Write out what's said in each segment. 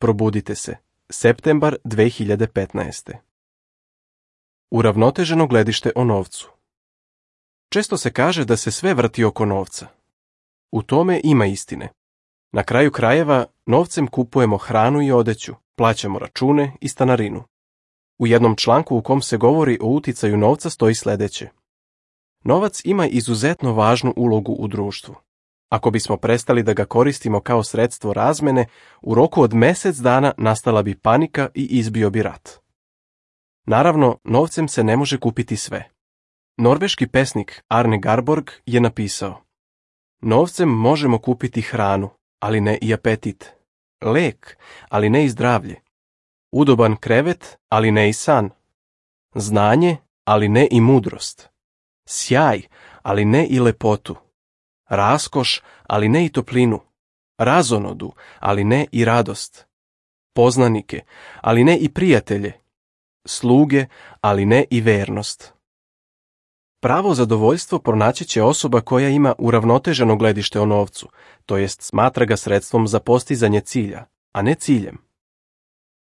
Probudite se. Septembar 2015. Uravnoteženo gledište o novcu. Često se kaže da se sve vrti oko novca. U tome ima istine. Na kraju krajeva, novcem kupujemo hranu i odeću, plaćamo račune i stanarinu. U jednom članku u kom se govori o uticaju novca stoji sljedeće. Novac ima izuzetno važnu ulogu u društvu. Ako bismo prestali da ga koristimo kao sredstvo razmene, u roku od mjesec dana nastala bi panika i izbio bi rat. Naravno, novcem se ne može kupiti sve. Norveški pesnik Arne Garborg je napisao: novcem možemo kupiti hranu, ali ne i apetit. Lek, ali ne i zdravlje. Udoban krevet, ali ne i san. Znanje, ali ne i mudrost. Sjaj, ali ne i lepotu. Raskoš, ali ne i toplinu. Razonodu, ali ne i radost. Poznanike, ali ne i prijatelje. Sluge, ali ne i vernost. Pravo zadovoljstvo pronaći će osoba koja ima uravnoteženo gledište o novcu, to jest smatra ga sredstvom za postizanje cilja, a ne ciljem.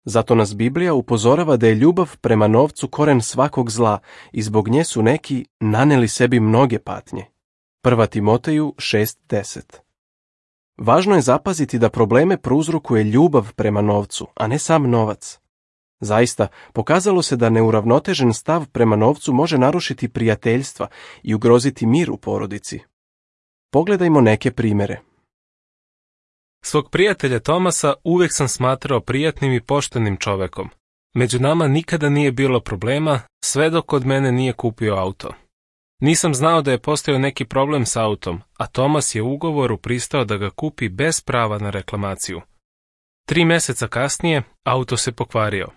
Zato nas Biblija upozorava da je ljubav prema novcu koren svakog zla i zbog nje su neki naneli sebi mnoge patnje. 1. Timoteju 6:10. Važno je zapaziti da probleme prouzrokuje ljubav prema novcu, a ne sam novac. Zaista, pokazalo se da neuravnotežen stav prema novcu može narušiti prijateljstva i ugroziti mir u porodici. Pogledajmo neke primjere. Svog prijatelja Tomasa uvijek sam smatrao prijatnim i poštenim čovekom. Među nama nikada nije bilo problema, sve dok od mene nije kupio auto. Nisam znao da je postojao neki problem s autom, a Tomas je u ugovoru pristao da ga kupi bez prava na reklamaciju. 3 mjeseca kasnije auto se pokvario.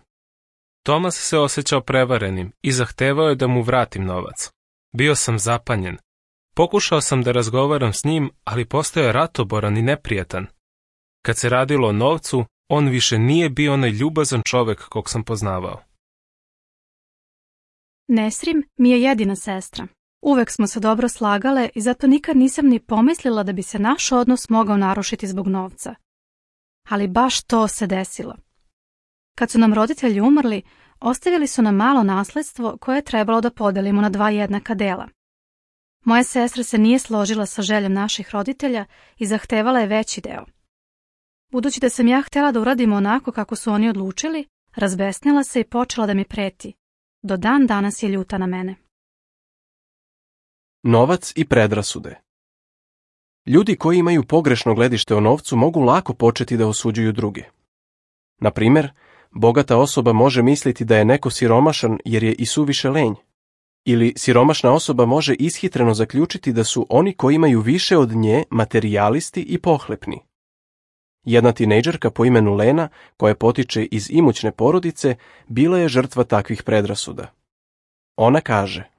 Tomas se osjećao prevarenim i zahtevao je da mu vratim novac. Bio sam zapanjen. Pokušao sam da razgovaram s njim, ali postao je ratoboran i neprijatan. Kad se radilo o novcu, on više nije bio onaj ljubazan čovek kog sam poznavao. Nesrim mi je jedina sestra. Uvek smo se dobro slagale i zato nikad nisam ni pomislila da bi se naš odnos mogao narušiti zbog novca. Ali baš to se desilo. Kad su nam roditelji umrli, ostavili su nam malo nasledstvo koje je trebalo da podelimo na 2 jednaka dela. Moja sestra se nije složila sa željom naših roditelja i zahtevala je veći deo. Budući da sam ja htjela da uradimo onako kako su oni odlučili, razbesnila se i počela da mi preti. Do dan danas je ljuta na mene. Novac i predrasude. Ljudi koji imaju pogrešno gledište o novcu mogu lako početi da osuđuju druge. Na primjer, bogata osoba može misliti da je neko siromašan jer je i suviše lenj. Ili siromašna osoba može ishitreno zaključiti da su oni koji imaju više od nje materijalisti i pohlepni. Jedna tinejdžerka po imenu Lena, koja potiče iz imućne porodice, bila je žrtva takvih predrasuda. Ona kaže: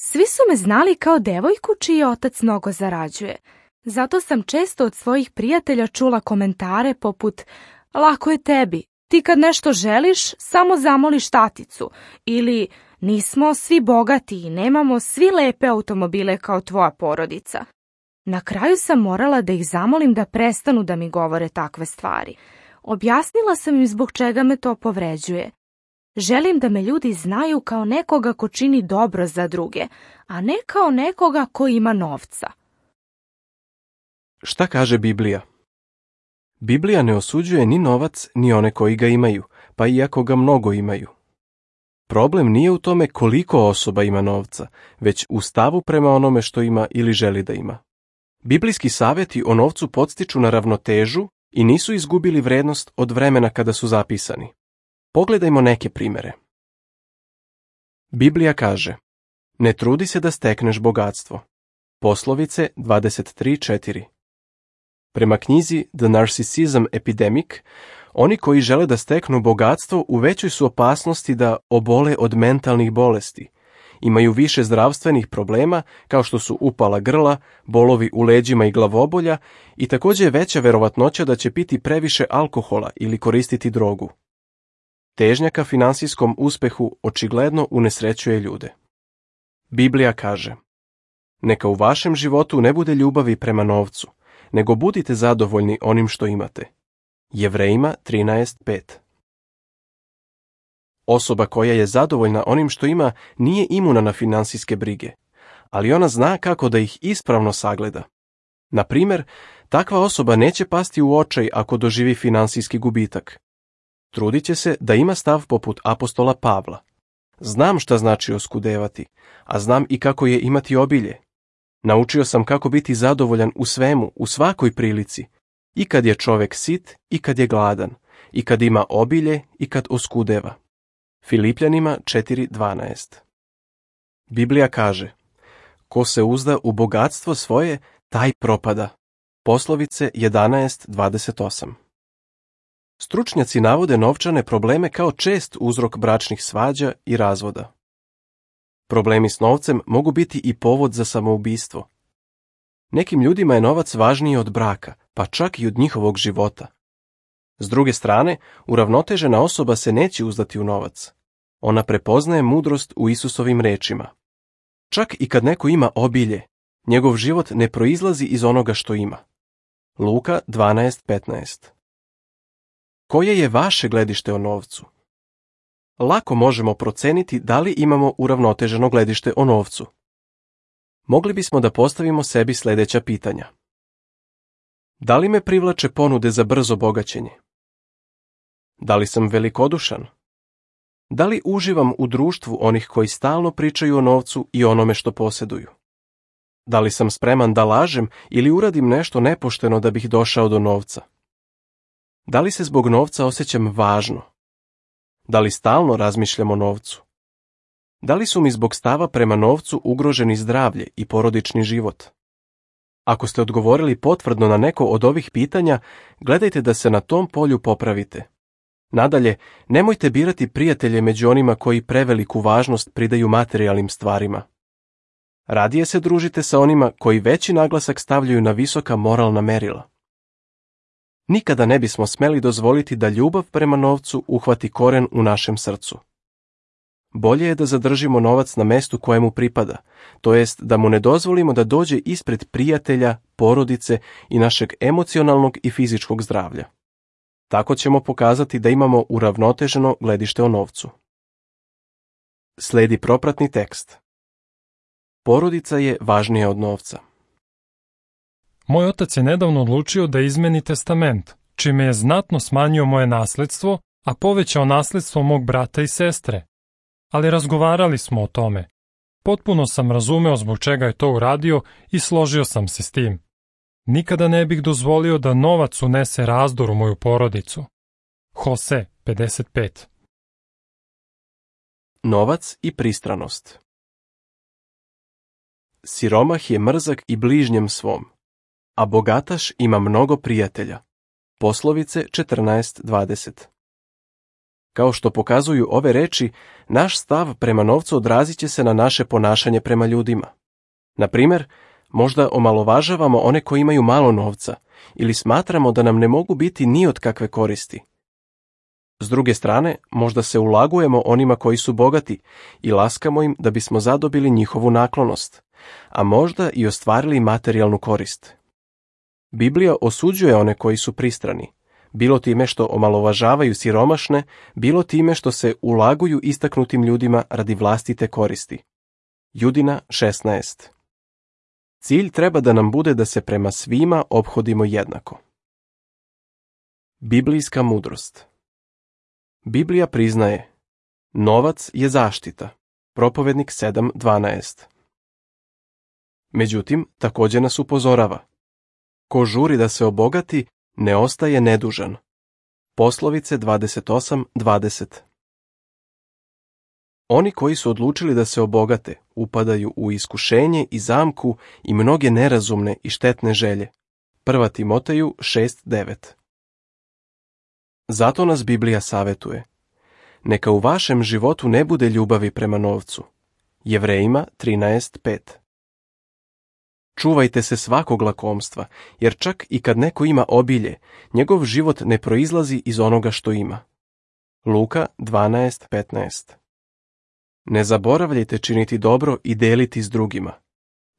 svi su me znali kao devojku čiji otac mnogo zarađuje. Zato sam često od svojih prijatelja čula komentare poput: lako je tebi, ti kad nešto želiš, samo zamoliš taticu. Ili: nismo svi bogati i nemamo svi lepe automobile kao tvoja porodica. Na kraju sam morala da ih zamolim da prestanu da mi govore takve stvari. Objasnila sam im zbog čega me to povređuje. Želim da me ljudi znaju kao nekoga ko čini dobro za druge, a ne kao nekoga ko ima novca. Šta kaže Biblija? Biblija ne osuđuje ni novac, ni one koji ga imaju, pa iako ga mnogo imaju. Problem nije u tome koliko osoba ima novca, već u stavu prema onome što ima ili želi da ima. Biblijski savjeti o novcu podstiču na ravnotežu i nisu izgubili vrednost od vremena kada su zapisani. Pogledajmo neke primjere. Biblija kaže: ne trudi se da stekneš bogatstvo. Poslovice 23:4. Prema knjizi The Narcissism Epidemic, oni koji žele da steknu bogatstvo u većoj su opasnosti da obole od mentalnih bolesti. Imaju više zdravstvenih problema kao što su upala grla, bolovi u leđima i glavobolja i također je veća verovatnoća da će piti previše alkohola ili koristiti drogu. Težnja ka finansijskom uspehu očigledno unesrećuje ljude. Biblija kaže: neka u vašem životu ne bude ljubavi prema novcu, nego budite zadovoljni onim što imate. Jevrejima 13:5. Osoba koja je zadovoljna onim što ima nije imuna na finansijske brige, ali ona zna kako da ih ispravno sagleda. Na primjer, takva osoba neće pasti u očaj ako doživi finansijski gubitak. Trudit će se da ima stav poput apostola Pavla. Znam šta znači oskudevati, a znam i kako je imati obilje. Naučio sam kako biti zadovoljan u svemu, u svakoj prilici, i kad je čovjek sit, i kad je gladan, i kad ima obilje, i kad oskudeva. Filipljanima 4:12. Biblija kaže: ko se uzda u bogatstvo svoje, taj propada. Poslovice 11:28. Stručnjaci navode novčane probleme kao čest uzrok bračnih svađa i razvoda. Problemi s novcem mogu biti i povod za samoubistvo. Nekim ljudima je novac važniji od braka, pa čak i od njihovog života. S druge strane, uravnotežena osoba se neće uzdati u novac. Ona prepoznaje mudrost u Isusovim rečima. Čak i kad neko ima obilje, njegov život ne proizlazi iz onoga što ima. Luka 12:15. Koje je vaše gledište o novcu? Lako možemo proceniti da li imamo uravnoteženo gledište o novcu. Mogli bismo da postavimo sebi sljedeća pitanja. Da li me privlače ponude za brzo bogaćenje? Da li sam velikodušan? Da li uživam u društvu onih koji stalno pričaju o novcu i onome što posjeduju? Da li sam spreman da lažem ili uradim nešto nepošteno da bih došao do novca? Da li se zbog novca osjećam važno? Da li stalno razmišljam o novcu? Da li su mi zbog stava prema novcu ugroženi zdravlje i porodični život? Ako ste odgovorili potvrdno na neko od ovih pitanja, gledajte da se na tom polju popravite. Nadalje, nemojte birati prijatelje među onima koji preveliku važnost pridaju materijalnim stvarima. Radije se družite sa onima koji veći naglasak stavljaju na visoka moralna merila. Nikada ne bismo smeli dozvoliti da ljubav prema novcu uhvati koren u našem srcu. Bolje je da zadržimo novac na mestu kojemu pripada, to jest da mu ne dozvolimo da dođe ispred prijatelja, porodice i našeg emocionalnog i fizičkog zdravlja. Tako ćemo pokazati da imamo uravnoteženo gledište o novcu. Slijedi propratni tekst. Porodica je važnija od novca. Moj otac je nedavno odlučio da izmeni testament, čime je znatno smanjio moje nasledstvo, a povećao nasledstvo mog brata i sestre. Ali razgovarali smo o tome. Potpuno sam razumeo zbog čega je to uradio i složio sam se s tim. Nikada ne bih dozvolio da novac unese razdor u moju porodicu. Hose 55. Novac i pristranost. Siromah je mrzak i bližnjem svom, a bogataš ima mnogo prijatelja. Poslovice 14:20. Kao što pokazuju ove reči, naš stav prema novcu odrazit će se na naše ponašanje prema ljudima. Na primjer, možda omalovažavamo one koji imaju malo novca ili smatramo da nam ne mogu biti ni od kakve koristi. S druge strane, možda se ulagujemo onima koji su bogati i laskamo im da bismo zadobili njihovu naklonost, a možda i ostvarili materijalnu korist. Biblija osuđuje one koji su pristrani, bilo time što omalovažavaju siromašne, bilo time što se ulaguju istaknutim ljudima radi vlastite koristi. Judina 16. Cilj treba da nam bude da se prema svima ophodimo jednako. Biblijska mudrost. Biblija priznaje: novac je zaštita. Propovednik 7:12. Međutim, također nas upozorava: ko žuri da se obogati, ne ostaje nedužan. Poslovice 28:20. Oni koji su odlučili da se obogate upadaju u iskušenje i zamku i mnoge nerazumne i štetne želje. 1. Timoteju 6:9. Zato nas Biblija savetuje: neka u vašem životu ne bude ljubavi prema novcu. Jevrejima 13:5. Čuvajte se svakog lakomstva, jer čak i kad neko ima obilje, njegov život ne proizlazi iz onoga što ima. Luka 12:15. Ne zaboravljajte činiti dobro i deliti s drugima.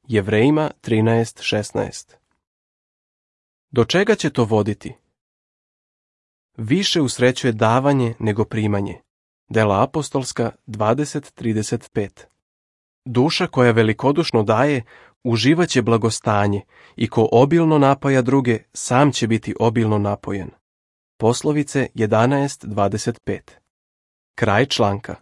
Jevrejima 13:16. Do čega će to voditi? više usrećuje davanje nego primanje. Dela apostolska 20:35. Duša koja velikodušno daje uživaće blagostanje i ko obilno napaja druge, sam će biti obilno napojen. Poslovice 11:25. Kraj članka.